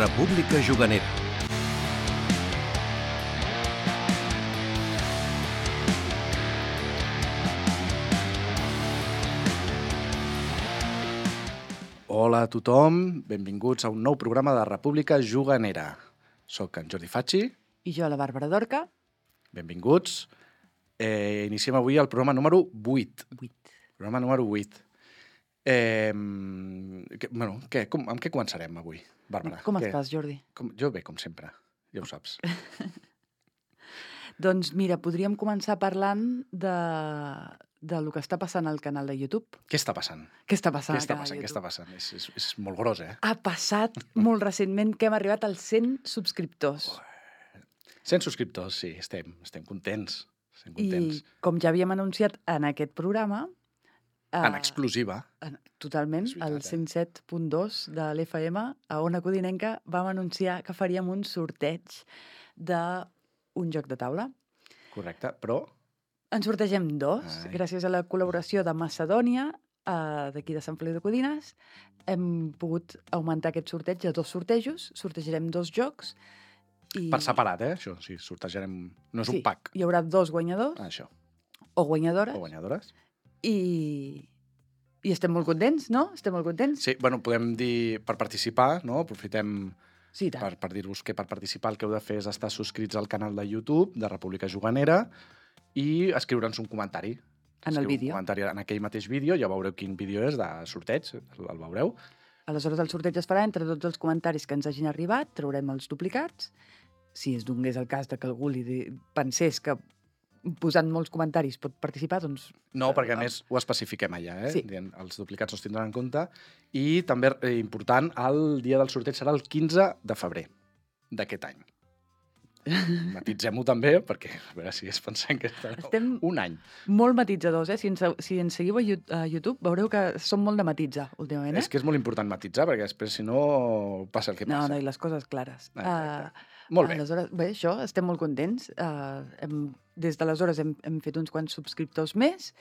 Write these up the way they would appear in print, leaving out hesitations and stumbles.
República Juganera. Hola a tothom, benvinguts a un nou programa de República Juganera. Soc en Jordi Facci. I jo, la Bàrbara Dorca. Benvinguts. Iniciem avui el programa número 8. Programa número 8. Amb què començarem avui, Bàrbara? Com estàs, Jordi? Jo bé, com sempre, ja ho saps. Doncs mira, podríem començar parlant de lo que està passant al canal de YouTube. Què està passant? Què està passant Què està passant? És molt gros, eh? Ha passat molt recentment que hem arribat als 100 subscriptors. 100 subscriptors, sí, estem contents. Estem contents. I com ja havíem anunciat en aquest programa... En exclusiva. Totalment, al 107.2 de l'FM, a Ona Codinenca, vam anunciar que faríem un sorteig d'un joc de taula. Correcte, però... En sortegem dos, gràcies a la col·laboració de Macedònia, d'aquí de Sant Feliu de Codines. Hem pogut augmentar aquest sorteig a 2 sortejos, sortejarem 2 jocs. Per separat, això, sí, sortejarem... No és un pack. Hi haurà 2 guanyadors. Això. O guanyadores. O guanyadores. I estem molt contents, no? Estem molt contents. Sí, bueno, podem dir per participar, no? Aprofitem per dir-vos que per participar el que heu de fer és estar subscrits al canal de YouTube de República Juganera i escriure'ns un comentari. En el vídeo. Un comentari en aquell mateix vídeo, ja veureu quin vídeo és de sorteig, el veureu. Aleshores el sorteig es farà entre tots els comentaris que ens hagin arribat, traurem els duplicats. Si es donés el cas de que algú pensés que posant molts comentaris pot participar, doncs... No, perquè a més ho especifiquem allà, Sí. Els duplicats no es tindran en compte. I també, important, el dia del sorteig serà el 15 de febrer d'aquest any. Matitzem-ho també, perquè a veure si es pensem que estarà un any. Molt matitzadors, eh? Si ens seguiu a YouTube, veureu que som molt de matitzar últimament, eh? És que és molt important matitzar, perquè després, si no, passa el que passa. No, i les coses clares. Molt bé. Aleshores, això, estem molt contents. Des d'aleshores hem fet uns quants subscriptors més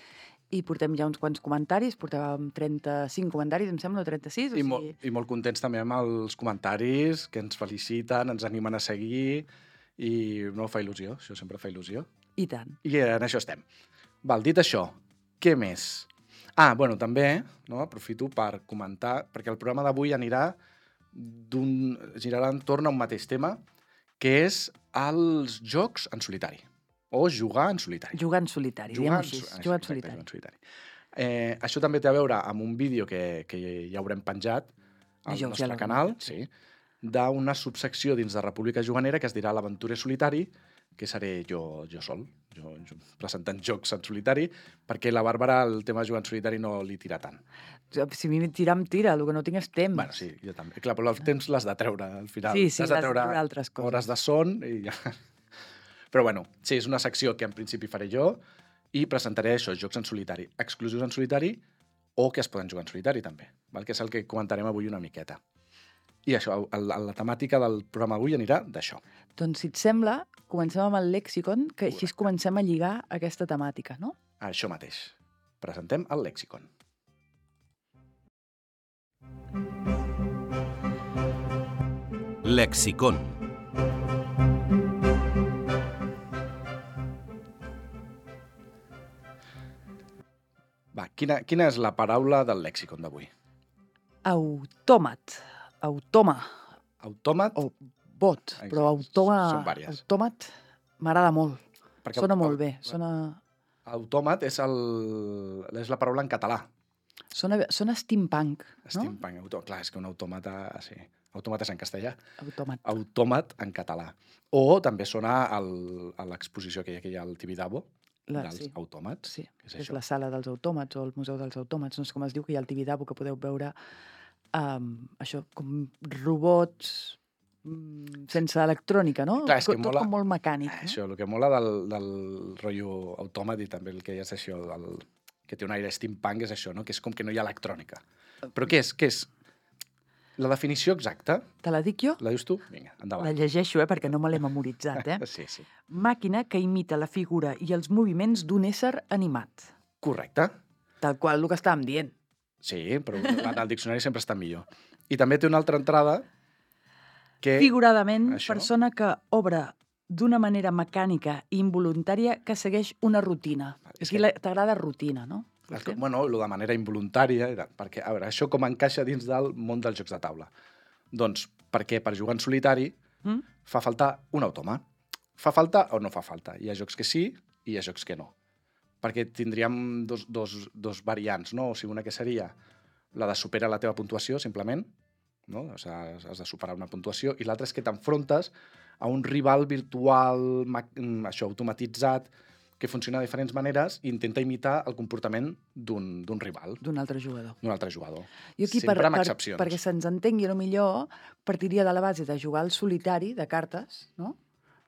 i portem ja uns quants comentaris. Portàvem 35 comentaris, em sembla, o 36. I molt contents també amb els comentaris, que ens feliciten, ens animen a seguir, i no fa il·lusió, això sempre fa il·lusió. I tant. I en això estem. Val, dit això, què més? Bueno, també, no, aprofito per comentar, perquè el programa d'avui girarà entorn a un mateix tema, que és els jocs en solitari. O jugar en solitari. Jugar en solitari, diguem-ho així. Jugar en solitari. Això també té a veure amb un vídeo que ja haurem penjat al nostre canal, sí, d'una subsecció dins de República Juganera que es dirà l'Aventurer Solitari, que seré jo sol, jo presentant jocs en solitari, perquè la Bàrbara el tema de jugar en solitari no li tira tant. Si a mi tira, em tira, el que no tinc és temps. Bueno, sí, jo també. Clar, però el temps l'has de treure, al final. Sí, has de treure altres coses. Hores de son i ja... Però bueno, sí, és una secció que en principi faré jo i presentaré això, jocs en solitari, exclusius en solitari o que es poden jugar en solitari també, val? Que és el que comentarem avui una miqueta. I això, la temàtica del programa avui anirà d'això. Doncs, si et sembla, comencem amb el lèxicon, que així comencem a lligar aquesta temàtica, no? Això mateix. Presentem el lèxicon. Lexicon. Va, quina és la paraula del lèxicon d'avui? Autòmat. Autòmat? O bot, però autòmat m'agrada molt. Perquè sona molt bé. Autòmat és la paraula en català. Sona steampunk, no? Steampunk, clar, és que un autòmata... Sí. Autòmat és en castellà. Autòmat en català. O també sona a l'exposició que hi ha al Tibidabo, dels autòmats. Sí, és la sala dels autòmats o el museu dels autòmats. No sé com es diu, que hi ha el Tibidabo, que podeu veure això, com robots sense electrònica, no? Clar, tot mola, com molt mecànic. Això, el que mola del rotllo autòmat i també el que és això, que té un aire steampunk, és això, no? Que és com que no hi ha electrònica. Però què és? La definició exacta... Te la dic jo? La dius tu? Vinga, endavant. La llegeixo, perquè no me l'he memoritzat, Sí. Màquina que imita la figura i els moviments d'un ésser animat. Correcte. Tal qual el que estàvem dient. Sí, però en el diccionari sempre està millor. I també té una altra entrada figuradament, persona que obre d'una manera mecànica i involuntària que segueix una rutina. Aquí t'agrada rutina, no? Bueno, de manera involuntària, perquè, a veure, això com encaixa dins del món dels jocs de taula? Doncs perquè per jugar en solitari fa falta un automa. Fa falta o no fa falta? Hi ha jocs que sí i hi ha jocs que no. Perquè tindríem dos variants, no? O sigui, una que seria la de superar la teva puntuació, simplement, no? O sigui, has de superar una puntuació, i l'altra és que t'enfrontes a un rival virtual, això, automatitzat, que funciona de diferents maneres i intenta imitar el comportament d'un rival. D'un altre jugador. D'un altre jugador. Jo aquí, sempre amb excepcions. Perquè se'ns entengui, millor partiria de la base de jugar al solitari de cartes, no?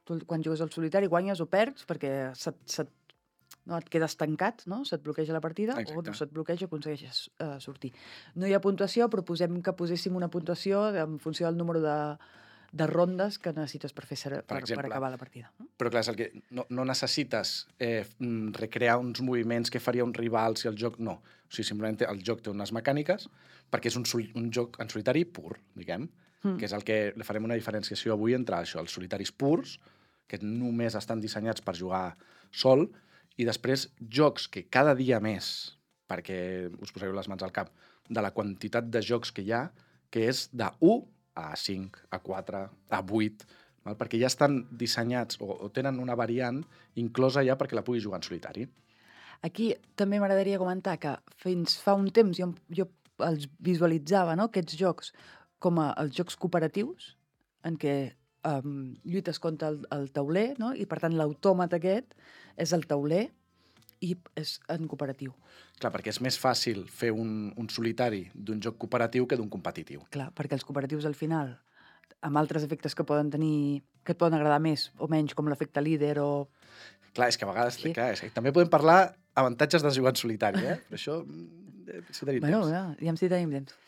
Tu, quan jugues al solitari, guanyes o perds perquè et quedes tancat, no? Se't bloqueja la partida. Exacte. O no se't bloqueja, aconsegueixes sortir. No hi ha puntuació, però posem que poséssim una puntuació en funció del número de rondes que necessites per acabar la partida. Però clar, és el que no necessites recrear uns moviments que faria un rival si el joc... No. O sigui, simplement el joc té unes mecàniques perquè és un joc en solitari pur, diguem, que és el que farem una diferenciació avui entre això, els solitaris purs, que només estan dissenyats per jugar sol, i després jocs que cada dia més, perquè us posareu les mans al cap, de la quantitat de jocs que hi ha, que és de 1 a 5, a 4, a 8, val? Perquè ja estan dissenyats o tenen una variant inclosa ja perquè la puguis jugar en solitari. Aquí també m'agradaria comentar que fins fa un temps jo els visualitzava, no? Aquests jocs com els jocs cooperatius, en què lluites contra el tauler, no? I per tant l'autòmat aquest és el tauler i és en cooperatiu. Clar, perquè és més fàcil fer un solitari d'un joc cooperatiu que d'un competitiu. Clar, perquè els cooperatius al final, amb altres efectes que poden tenir, que et poden agradar més o menys, com l'efecte líder o... Clar, és que a vegades... Sí. Clar, és que també podem parlar avantatges de jugar en solitari, Però això, si tenim temps. Ja si tenim temps.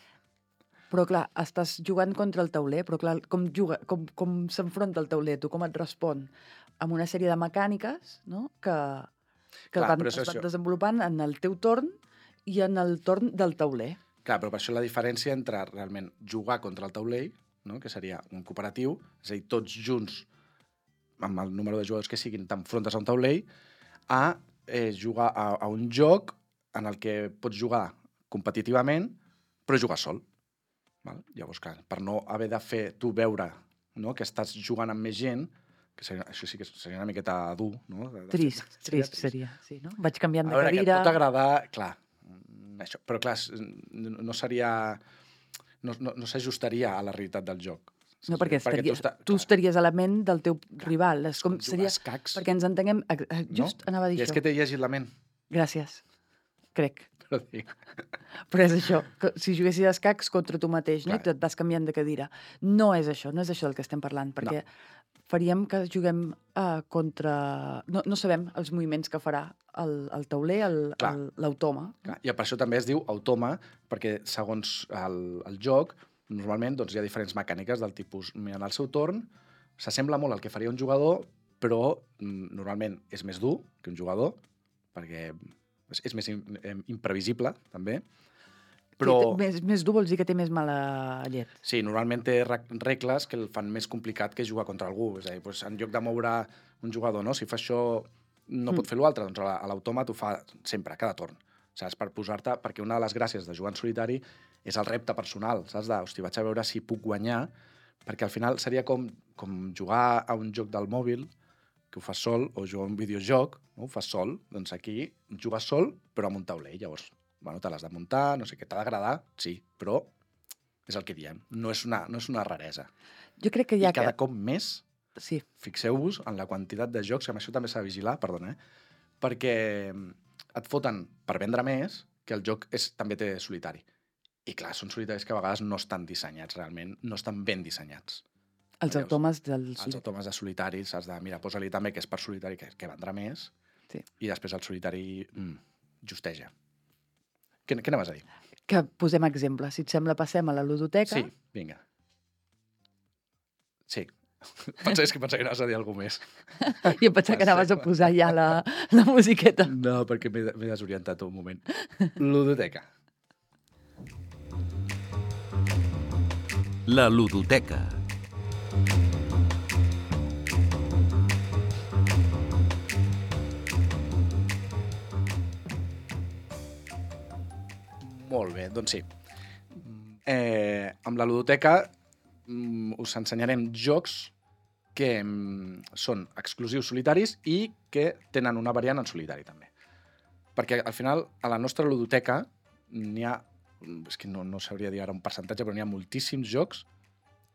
Però clar, estàs jugant contra el tauler, però clar, com s'enfronta el tauler, tu com et respon? Amb una sèrie de mecàniques, no?, que es van desenvolupant en el teu torn i en el torn del tauler. Clar, però per això la diferència entre realment jugar contra el tauler, no?, que seria un cooperatiu, és a dir, tots junts, amb el número de jugadors que siguin, t'enfrontes a un tauler, a jugar a un joc en el que pots jugar competitivament, però jugar sol. Val? Llavors, clar, per no haver de fer tu veure, no?, que estàs jugant amb més gent, que això sí que seria una miqueta dur, no? Trist seria, sí, no? Vaig canviant de cadira... A veure, que et pot agradar, clar, això, però clar, no seria... No s'ajustaria a la realitat del joc. No, perquè tu estaries a la ment del teu rival. És com seria... escacs. Perquè ens entenguem... Just anava a dir això. I és que t'he llegit la ment. Gràcies. Crec. Però dic... Però és això, que si juguessis a escacs contra tu mateix, no? I et vas canviant de cadira. No és això del que estem parlant, perquè faríem que juguem contra... No sabem els moviments que farà el tauler, l'automa. I per això també es diu automa, perquè segons el joc, normalment hi ha diferents mecàniques del tipus, en el seu torn, s'assembla molt al que faria un jugador, però normalment és més dur que un jugador, perquè és més imprevisible, també. Però... Més dur vols dir que té més mala llet. Sí, normalment té regles que el fan més complicat que jugar contra algú. És a dir, en lloc de moure un jugador, no? Si fa això, no pot fer l'altre. Doncs a l'autòmat ho fa sempre, cada torn. Saps? Per posar-te... Perquè una de les gràcies de jugar en solitari és el repte personal, saps? Hosti, vaig a veure si puc guanyar, perquè al final seria com jugar a un joc del mòbil, que ho fas sol, o jugar a un videojoc, no? Ho fas sol. Doncs aquí jugues sol, però amb un tauler. Llavors, bueno, te l'has de muntar, no sé què, t'ha d'agradar, sí, però és el que diem. No és una raresa. Jo crec que hi ha... I cada cop més, sí. Fixeu-vos en la quantitat de jocs, que amb això també s'ha de vigilar, perdona, perquè et foten per vendre més que el joc també té solitari. I clar, són solitaris que a vegades no estan dissenyats realment, no estan ben dissenyats. Els automes Els automes de solitari, has de, mira, posa-li també que és per solitari, que vendrà més, sí. I després el solitari justeja. Què anaves a dir? Que posem exemples. Si et sembla, passem a la ludoteca. Sí, vinga. Sí. Pensava que anaves a dir alguna més. Jo pensava que anaves a posar ja la musiqueta. No, perquè m'he desorientat un moment. Ludoteca. La ludoteca. Molt bé, doncs sí. Amb la ludoteca us ensenyarem jocs que són exclusius solitaris i que tenen una variant en solitari, també. Perquè, al final, a la nostra ludoteca n'hi ha... És que no sabria dir ara un percentatge, però n'hi ha moltíssims jocs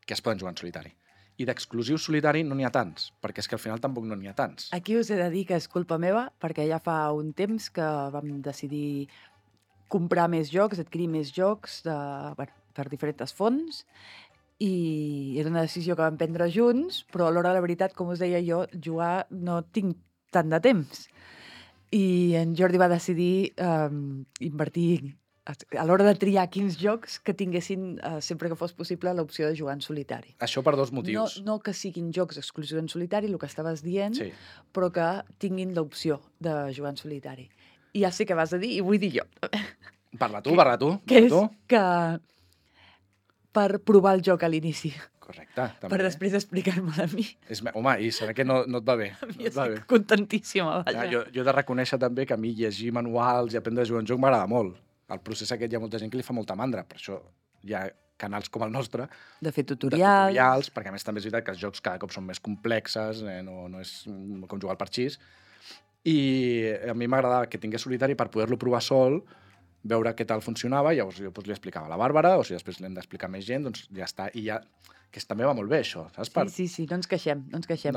que es poden jugar en solitari. I d'exclusiu solitari no n'hi ha tants, perquè és que al final tampoc no n'hi ha tants. Aquí us he de dir que és culpa meva, perquè ja fa un temps que vam decidir comprar més jocs, adquirir més jocs per diferents fonts, i era una decisió que vam prendre junts, però a l'hora de la veritat, com us deia jo, jugar no tinc tant de temps. I en Jordi va decidir invertir a l'hora de triar quins jocs que tinguessin, sempre que fos possible, l'opció de jugar en solitari. Això per dos motius. No que siguin jocs exclusius en solitari, el que estaves dient, sí, però que tinguin l'opció de jugar en solitari. I ja sé què vas a dir i vull dir jo. Parla tu. Que és que per provar el joc a l'inici. Correcte. També. Per després explicar-me'l a mi. Home, i saber que no et va bé. A mi estic contentíssima. Jo he de reconèixer també que a mi llegir manuals i aprendre a jugar un joc m'agrada molt. El procés aquest hi ha molta gent que li fa molta mandra, per això hi ha canals com el nostre de fer tutorials, perquè a més també és veritat que els jocs cada cop són més complexes, no és com jugar al parxís, i a mi m'agradava que tingués solitari per poder-lo provar sol, veure què tal funcionava, i llavors jo li explicava a la Bàrbara, o si després l'hem d'explicar més gent, doncs ja està, i ja... que també va molt bé, això, saps? Sí, no ens queixem,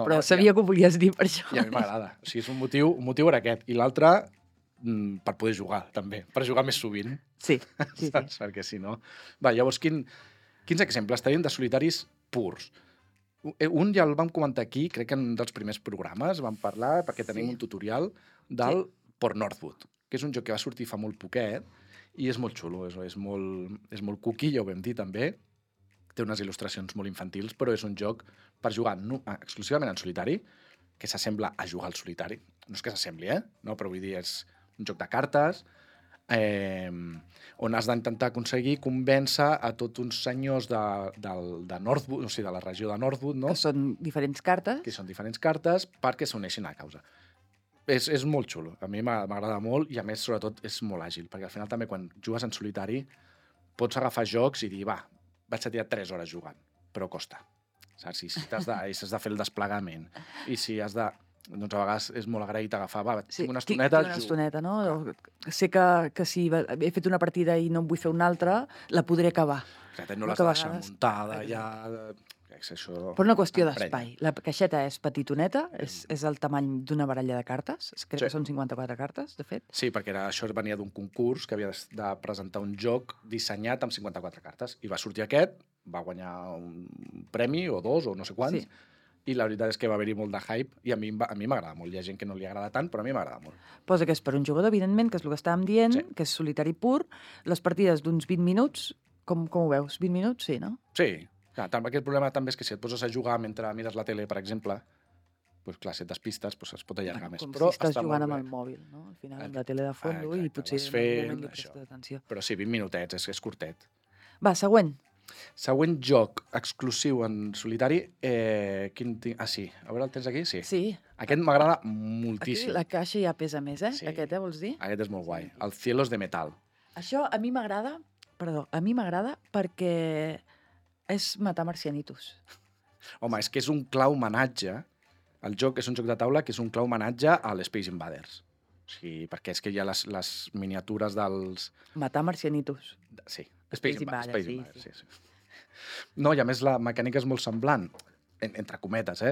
però sabia que ho volies dir per això. I a mi m'agrada, o sigui, és un motiu era aquest, i l'altre per poder jugar, també, per jugar més sovint. Sí. Saps? Perquè si no... Va, llavors, quins exemples tenim de solitaris purs? Un ja el vam comentar aquí, crec que en un dels primers programes vam parlar, perquè tenim un tutorial del Port Northwood, que és un joc que va sortir fa molt poquet, i és molt xulo, és molt cookie, ja ho vam dir també, té unes il·lustracions molt infantils, però és un joc per jugar exclusivament en solitari, que s'assembla a jugar al solitari. No és que s'assembli, no, però vull dir, és un joc de cartes on has d'intentar aconseguir convèncer a tots uns senyors de Northwood, o sigui, de la regió de Northwood, no? Que són diferents cartes. Que són diferents cartes perquè s'uneixin a la causa. És molt xulo, a mi m'agrada molt i a més, sobretot, és molt àgil, perquè al final també quan jugues en solitari pots agafar jocs i dir, vaig a tirar 3 hores jugant, però costa. Saps? Si has de fer el desplegament i si has de... Doncs a vegades és molt agraït agafar, tinc una estoneta... Tinc una estoneta, no? Sé que si he fet una partida i no en vull fer una altra, la podré acabar. Exacte, no l'has de deixar muntada, ja... Per una qüestió d'espai. La caixeta és petitoneta, és el tamany d'una baralla de cartes, crec que són 54 cartes, de fet. Sí, perquè això venia d'un concurs que havia de presentar un joc dissenyat amb 54 cartes, i va sortir aquest, va guanyar un premi o 2 o no sé quants, i la veritat és que va haver-hi molt de hype, i a mi m'agrada molt. Hi ha gent que no li agrada tant, però a mi m'agrada molt. Posa que és per un jugador, evidentment, que és el que estàvem dient, que és solitari pur, les partides d'uns 20 minuts, com ho veus? 20 minuts, sí, no? Sí. Clar, aquest problema també és que si et poses a jugar mentre mires la tele, per exemple, doncs clar, si et despistes, es pot allargar més. Com si estàs jugant amb el mòbil, no? Al final, amb la tele de fons, i potser en un moment li prestes atenció. Però sí, 20 minutets, és curtet. Va, següent. Següent joc exclusiu en solitari, sí, a veure, el tens aquí? Sí. Aquest m'agrada moltíssim. Aquí la caixa ja pesa més, Sí. Aquest, vols dir? Aquest és molt guai. El Cielos de Metal. Això a mi m'agrada, perquè és matar marcianitos. Home, és que és un clar homenatge. El joc és un joc de taula que és un clar homenatge a l'Space Invaders. O sigui, perquè és que hi ha les miniatures dels... Matar marcianitos. Sí. Space Invaders, sí. No, i a més la mecànica és molt semblant, entre cometes,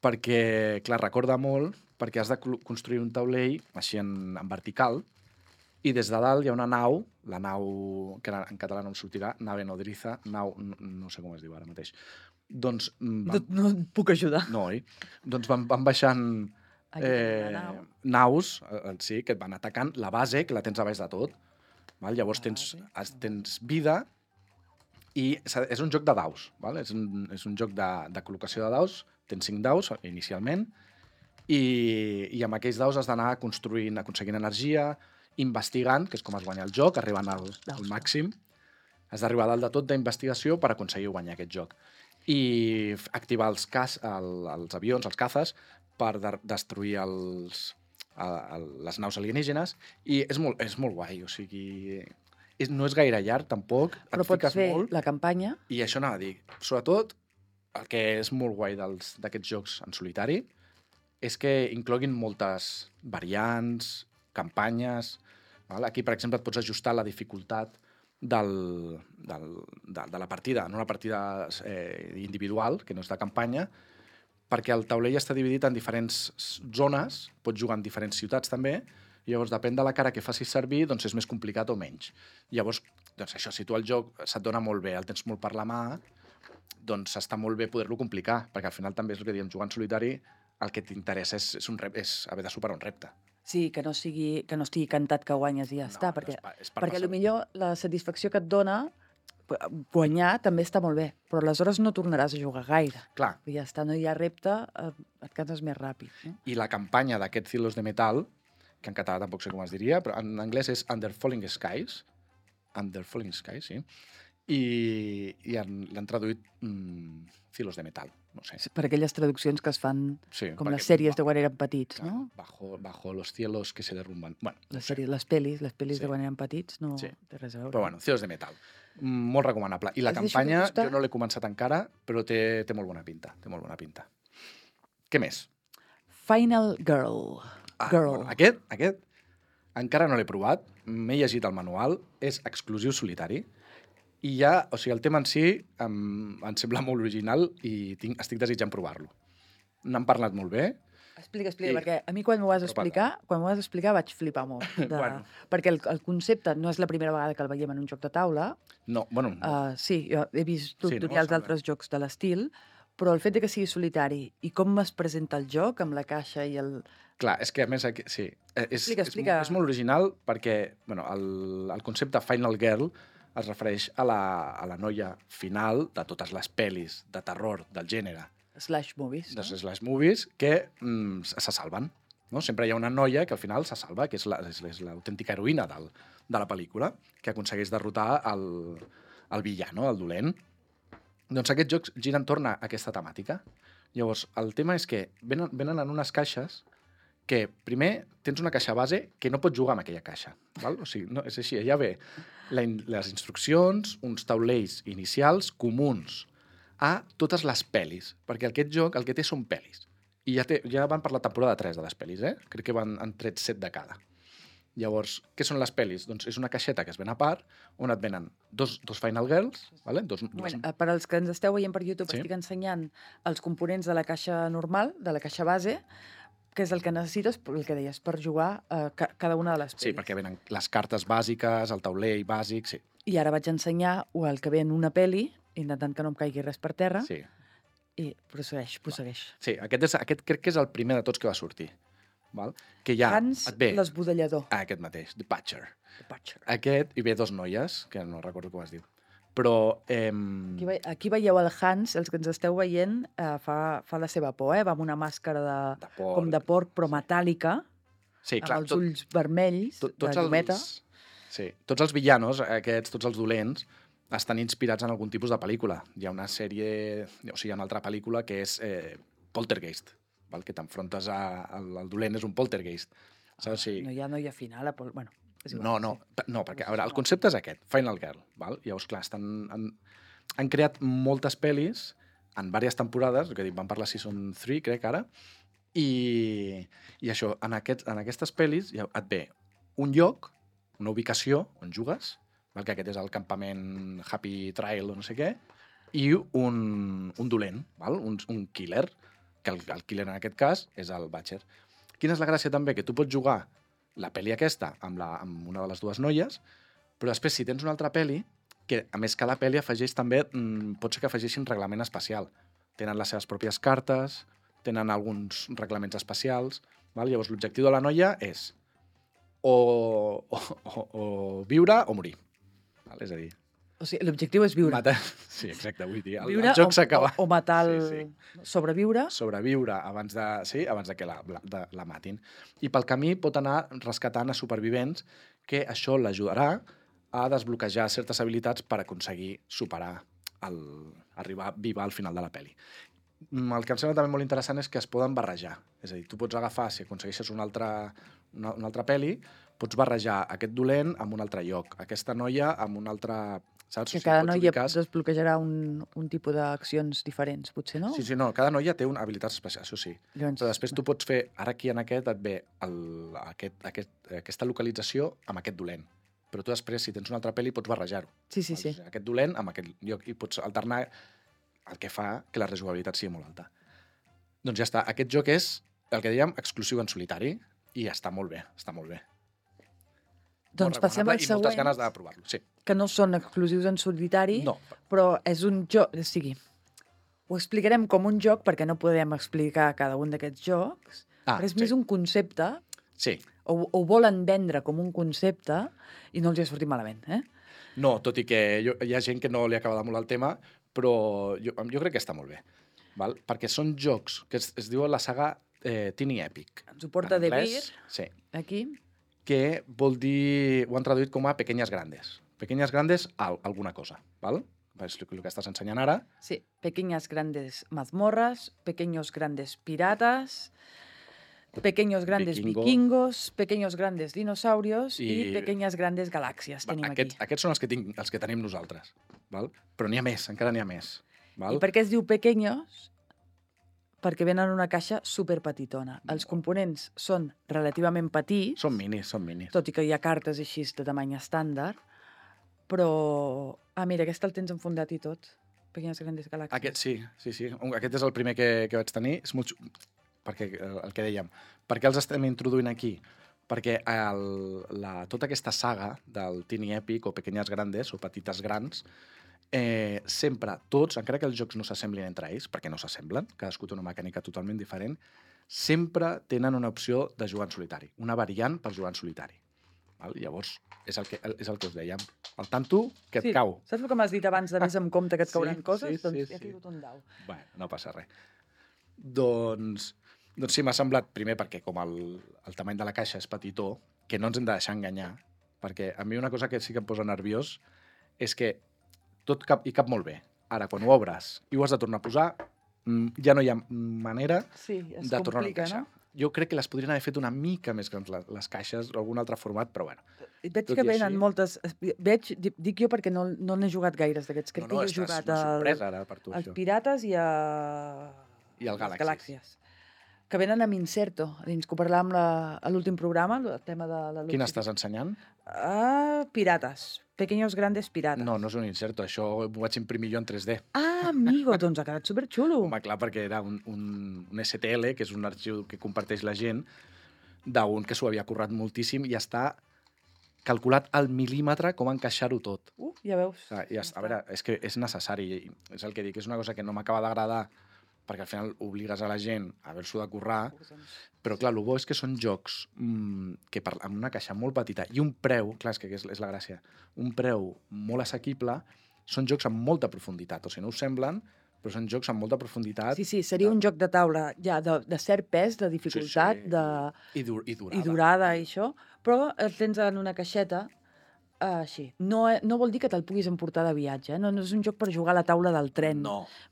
perquè, clar, recorda molt, perquè has de construir un taulell així en vertical, i des de dalt hi ha una nau, la nau, que en català no em sortirà, nave nodriza, no sé com es diu ara mateix. Doncs... No et puc ajudar. No, doncs van baixant naus, sí, que et van atacant, la base, que la tens a baix de tot. Llavors tens vida i és un joc de daus. És un joc de col·locació de daus, tens 5 daus inicialment i amb aquells daus has d'anar construint, aconseguint energia, investigant, que és com es guanya el joc, arribant al màxim. Has d'arribar a dalt de tot d'investigació per aconseguir guanyar aquest joc. i activar els avions, els cazes, per destruir les naus alienígenes, i és molt guai, o sigui... No és gaire llarg, tampoc. Però pots fer la campanya. I això anava a dir. Sobretot, el que és molt guai d'aquests jocs en solitari és que incloguin moltes variants, campanyes... Aquí, per exemple, et pots ajustar la dificultat de la partida, en una partida individual, que no és de campanya, perquè el taulell està dividit en diferents zones, pots jugar en diferents ciutats també, i llavors, depèn de la cara que facis servir, doncs és més complicat o menys. Llavors, doncs això, si tu el joc se't dona molt bé, el tens molt per la mà, doncs està molt bé poder-lo complicar, perquè al final també és el que diem, jugar en solitari, el que t'interessa és haver de superar un repte. Sí, que no estigui cantat que guanyes i ja està, perquè potser la satisfacció que et dona guanyar també està molt bé, però aleshores no tornaràs a jugar gaire. Clar. I ja està, no hi ha repte, et canses més ràpid. No? I la campanya d'aquests Silos de Metal, que en català tampoc sé com es diria, però en anglès és Under Falling Skies. Under Falling Skies, sí. I l'han traduït Silos de Metal, no sé. Per aquelles traduccions que es fan com les sèries de quan érem petits, no? Bajo los cielos que se derrumban. Bueno, les pel·lis de quan érem petits no té res a veure. Però bueno, Silos de Metal. Molt recomanable. I la campanya, jo no l'he començat encara, però té molt bona pinta. Té molt bona pinta. Què més? Final Girl. Bueno, aquest encara no l'he provat, m'he llegit el manual, és exclusiu solitari, i ja, o sigui, el tema en si em sembla molt original i estic desitjant provar-lo. N'han parlat molt bé. Explica, perquè a mi quan m'ho vas explicar vaig flipar molt. Perquè el concepte no és la primera vegada que el veiem en un joc de taula. No, bueno... Sí, jo he vist tutorials d'altres jocs de l'estil, però el fet que sigui solitari i com es presenta el joc amb la caixa i el... Clar, és que a més, sí, Explica. És molt original perquè el concepte Final Girl es refereix a la noia final de totes les pel·lis de terror del gènere. Slash movies. De slash movies que se salven. No? Sempre hi ha una noia que al final se salva, que és l'autèntica heroïna de la pel·lícula, que aconsegueix derrotar el villano, el dolent. Doncs aquests jocs giren entorn a aquesta temàtica. Llavors, el tema és que venen en unes caixes que primer tens una caixa base que no pots jugar amb aquella caixa. Val? O sigui, no, és així, ja ve les instruccions, uns taulells inicials comuns a totes les pel·lis, perquè aquest joc el que té són pel·lis. I ja van per la temporada 3 de les pel·lis, Crec que han tret 7 de cada. Llavors, què són les pel·lis? Doncs és una caixeta que es ven a part, on et venen dos Final Girls, vale? Per als que ens esteu veient per YouTube, estic ensenyant els components de la caixa normal, de la caixa base, que és el que necessites, el que deies, per jugar cada una de les pel·lis. Sí, perquè venen les cartes bàsiques, el taulell bàsic, sí. I ara vaig ensenyar el que ve en una pel·li, intentant que no em caigui res per terra, sí. I prossegueix. Sí, aquest crec que és el primer de tots que va sortir. Val? Que ja Hans l'esbudellador. Aquest mateix, The Butcher. Aquest, i ve dos noies, que no recordo com es diu. Però... Aquí veieu el Hans, els que ens esteu veient, fa la seva por, va amb una màscara com de porc, però metàl·lica, amb els ulls vermells, de llumeta. Sí, tots els villanos, tots els dolents, estan inspirats en algun tipus de pel·lícula. Hi ha una sèrie, o sigui, hi ha una altra pel·lícula que és Poltergeist, que t'enfrontes al dolent, és un poltergeist. No hi ha final, bueno... No, perquè a veure, el concepte és aquest, Final Girl. Val? Llavors, clar, han creat moltes pel·lis en diverses temporades, que van per la Season 3, crec, ara, i això, en aquestes pel·lis et ve un lloc, una ubicació on jugues, que aquest és el campament Happy Trail o no sé què, i un dolent, un killer, que el killer en aquest cas és el Butcher. Quina és la gràcia també? Que tu pots jugar la pel·li aquesta amb una de les dues noies, però després si tens una altra pel·li, que a més cada pel·li afegeix també, pot ser que afegeixin reglament especial. Tenen les seves pròpies cartes, tenen alguns reglaments especials, llavors l'objectiu de la noia és o viure o morir. És a dir... O sigui, l'objectiu és viure. Sí, exacte, vull dir, el joc s'acaba. O matar sobreviure. Sobreviure abans de que la matin. I pel camí pot anar rescatant a supervivents, que això l'ajudarà a desbloquejar certes habilitats per aconseguir superar arribar viva al final de la pel·li. El que em sembla també molt interessant és que es poden barrejar. És a dir, tu pots agafar, si aconsegueixes una altra pel·li, pots barrejar aquest dolent amb un altre lloc, aquesta noia amb un altre... Saps? Que cada noia desbloquejarà un tipus d'accions diferents, potser, no? Sí, no, cada noia té habilitats especials, això sí. Llavors, però després tu pots fer, ara aquí en aquest et ve aquesta localització amb aquest dolent. Però tu després, si tens una altra pel·li, pots barrejar-ho. Sí. Aquest dolent amb aquest lloc i pots alternar, el que fa que la rejugabilitat sigui molt alta. Doncs ja està. Aquest joc és, el que dèiem, exclusiu en solitari i està molt bé, està molt bé. Doncs passem al següent. I moltes ganes de provar-lo, sí. Que no són exclusius en solitari, no. Però és un joc... O sigui, ho explicarem com un joc perquè no podem explicar cada un d'aquests jocs, però és més un concepte. Sí. O volen vendre com un concepte i no els ha sortit malament, eh? No, tot i que hi ha gent que no li acaba de molar el tema, però jo crec que està molt bé. Val? Perquè són jocs que es diuen la saga Tiny Epic. Ens ho porta De Beer, sí. Aquí. Que vol dir... Ho han traduït com a pequeñas grandes. Pequeñas grandes alguna cosa, val? És el que estàs ensenyant ara. Sí, pequeñas grandes mazmorras, pequeños grandes piratas, pequeños grandes vikingos, pequeños grandes dinosaurios i pequeñas grandes galàxies tenim aquí. Aquests són els que tenim nosaltres, val? Però n'hi ha més, encara n'hi ha més. Val? I per què es diu pequeños? Perquè venen en una caixa superpetitona. Els components són relativament petits. Són minis. Tot i que hi ha cartes així de tamany estàndard. Però... mira, aquest el tens enfundat i tot. Pequeñas grandes galàxies. Aquest sí. Aquest és el primer que vaig tenir. És molt... Perquè el que dèiem. Per què els estem introduint aquí? Perquè tota aquesta saga del Tiny Epic o Pequeñas Grandes o Petites Grans sempre tots, encara que els jocs no s'assemblin entre ells, perquè no s'assemblen, cadascú té una mecànica totalment diferent, sempre tenen una opció de jugar en solitari, una variant per jugar en solitari. Val? Llavors, és el que us dèiem. El tanto que et cau. Saps el que m'has dit abans de més en compte que et cauran coses? Doncs he tingut un dau. Bueno, no passa res. Doncs sí, m'ha semblat, primer perquè com el tamany de la caixa és petitó, que no ens hem de deixar enganyar, perquè a mi una cosa que sí que em posa nerviós és que tot cap molt bé. Ara, quan ho obres i ho has de tornar a posar, ja no hi ha manera de tornar-ho a encaixar. No? Jo crec que les podrien haver fet una mica més grans les caixes o algun altre format, però bueno. Veig que venen moltes... Dic jo perquè no n'he jugat gaires d'aquests. Crec que he jugat als Pirates i al Galàxies. Que venen amb Inserto, dins que ho parlàvem a l'últim programa, el tema de la... Quin estàs ensenyant? Pirates. Pequeños grandes pirates. No és un Inserto, això ho vaig imprimir jo en 3D. Amigo, doncs ha quedat superxulo. Home, clar, perquè era un STL, que és un arxiu que comparteix la gent, d'un que s'ho havia currat moltíssim i està calculat al mil·límetre com encaixar-ho tot. Ja veus. A veure, és que és necessari, és el que dic, és una cosa que no m'acaba d'agradar, perquè al final obligues a la gent a haver-s'ho de currar, però clar, el bo és que són jocs que amb una caixa molt petita i un preu, clar, és que és la gràcia, un preu molt assequible, són jocs amb molta profunditat, o sigui, no us semblen, però són jocs amb molta profunditat. Sí, seria un joc de taula ja de cert pes, de dificultat, i durada i això, però el tens en una caixeta així. No vol dir que te'l puguis emportar de viatge, no és un joc per jugar a la taula del tren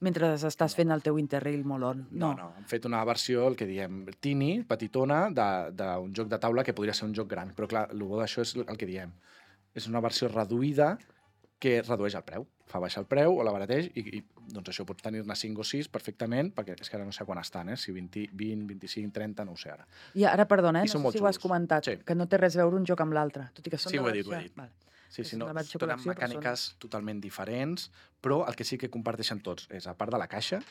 mentre estàs fent el teu Interrail molon. No, han fet una versió, el que diem, tiny, petitona, d'un joc de taula que podria ser un joc gran, però clar, el bo d'això és el que diem. És una versió reduïda que redueix el preu. Fa baixar el preu o l'abarateix i doncs això pots tenir-ne 5 o 6 perfectament, perquè és que ara no sé quan estan, si 20, 25, 30, no ho sé ara. I ara, perdona, no sé si ho has comentat, que no té res a veure un joc amb l'altre, tot i que són de versió. Sí, ho he dit. Sí, no, tenen mecàniques totalment diferents, però el que sí que comparteixen tots és, a part de la caixa,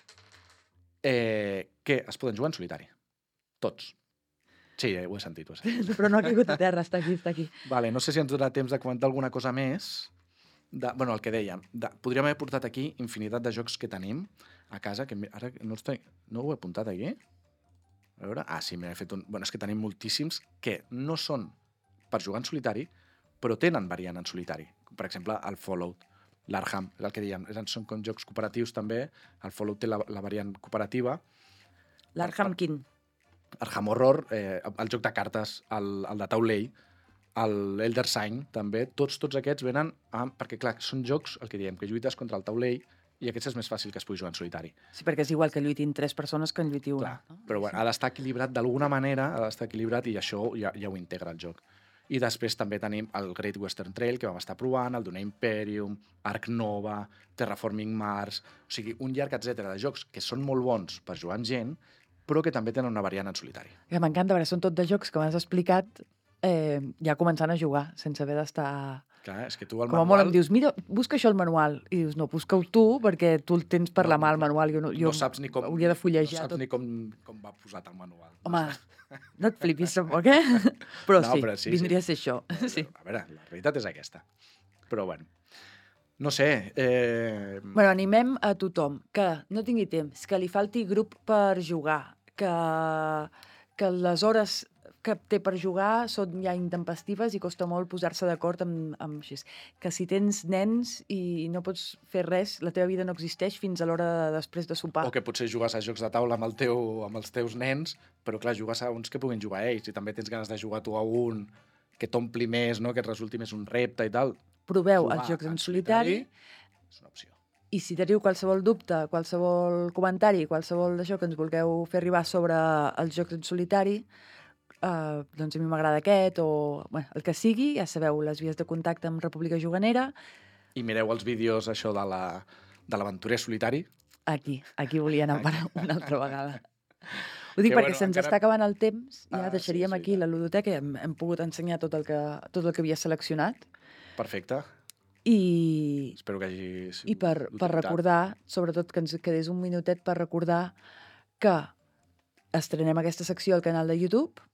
que es poden jugar en solitari. Tots. Sí, ho he sentit. Però no ha caigut a terra, està aquí. Vale, no sé si ens donarà temps de comentar alguna cosa més. El que dèiem, podríem haver portat aquí infinitat de jocs que tenim a casa, que ara no ho he apuntat aquí. A veure, sí, m'he fet un... És que tenim moltíssims que no són per jugar en solitari, però tenen variant en solitari. Per exemple, el Fallout, l'Arkham, és el que dèiem, són com jocs cooperatius també, el Fallout té la variant cooperativa. L'Arkham quin? Arkham Horror, el joc de cartes, el de taulell, l'Elder Sign, també, tots aquests venen perquè, clar, són jocs, el que diem, que lluites contra el taulell i aquest és més fàcil que es pugui jugar en solitari. Sí, perquè és igual que lluitin 3 persones que en lluiti una. Clar, però bueno, ha d'estar equilibrat d'alguna manera, ha d'estar equilibrat i això ja ho integra el joc. I després també tenim el Great Western Trail, que vam estar provant, el Dune Imperium, Ark Nova, Terraforming Mars... O sigui, un llarg etcètera de jocs que són molt bons per jugar amb gent, però que també tenen una variant en solitari. Que m'encanta, perquè són tot de jocs que m'has explicat ja començant a jugar, sense haver d'estar... Clar, és que tu el manual... Com a molt em dius, mira, busca això al manual. I dius, no, busca-ho tu, perquè tu el tens per la mà, el manual. Jo no saps ni com, hauria de fullejar no saps ni com va posat el manual. Home, no et flipis tampoc, eh? Però, no, sí, però sí, vindria a ser això. Sí. A veure, la realitat és aquesta. Però, bueno, no sé... Bueno, animem a tothom que no tingui temps, que li falti grup per jugar, que les hores que té per jugar són ja intempestives i costa molt posar-se d'acord amb així. Que si tens nens i no pots fer res, la teva vida no existeix fins a l'hora després de sopar. O que potser jugues a jocs de taula amb els teus nens, però clar, jugues a uns que puguin jugar ells i també tens ganes de jugar tu a un que t'ompli més, no? Que et resulti més un repte i tal. Proveu els jocs en solitari. És una opció. I si teniu qualsevol dubte, qualsevol comentari, qualsevol d'això que ens vulgueu fer arribar sobre els jocs en solitari, doncs a mi m'agrada aquest, o bueno, el que sigui, ja sabeu, les vies de contacte amb República Juganera. I mireu els vídeos, això de l'aventurer solitari. Aquí volia anar una altra vegada. Ho dic perquè se'ns està acabant el temps, ja deixaríem aquí la ludoteca, hem pogut ensenyar tot el que havia seleccionat. Perfecte. I espero que hagi sigut i per recordar, sobretot que ens quedés un minutet per recordar que estrenem aquesta secció al canal de YouTube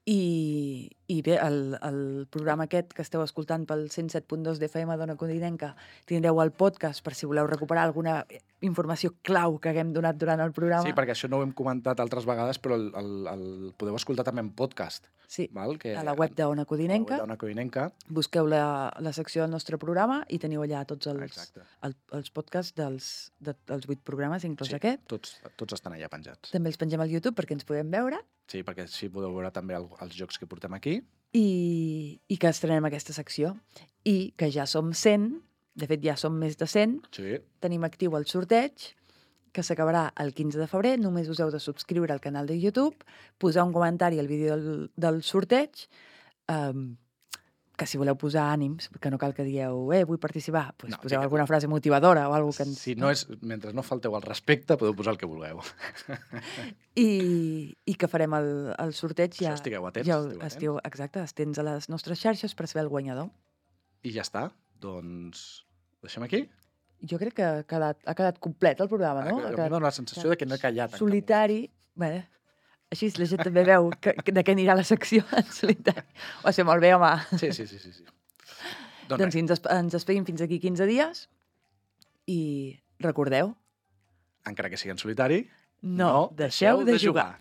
i bé, el programa aquest que esteu escoltant pel 107.2 d'FM d'Ona Codinenca tindreu el podcast per si voleu recuperar alguna informació clau que haguem donat durant el programa. Sí, perquè això no ho hem comentat altres vegades, però el podeu escoltar també en podcast. Sí, val? Que a la web d'Ona Codinenca. Busqueu la secció del nostre programa i teniu allà tots els podcasts dels 8 programes, inclús aquest. Tots estan allà penjats. També els pengem al YouTube perquè ens podem veure. Sí, perquè així podeu veure també els jocs que portem aquí. I que estrenem aquesta secció. I que ja som 100, de fet ja som més de 100. Sí. Tenim actiu el sorteig, que s'acabarà el 15 de febrer. Només us heu de subscriure al canal de YouTube, posar un comentari al vídeo del sorteig, que si voleu posar ànims, que no cal que dieu vull participar, doncs no, poseu alguna frase motivadora o alguna cosa que ens... Si no és, mentre no falteu al respecte, podeu posar el que vulgueu. I que farem el sorteig ja... Això estigueu atents. Ja exacte, atents a les nostres xarxes per saber el guanyador. I ja està. Doncs deixem aquí? Jo crec que ha quedat complet el programa, no? A mi em dóna la sensació de que no he callat. Solitari. Bé, així la gent també veu de què anirà la secció en solitari. O sigui, molt bé, home. Sí. Doncs ens despedim fins aquí 15 dies i recordeu... Encara que sigui en solitari, no deixeu de jugar.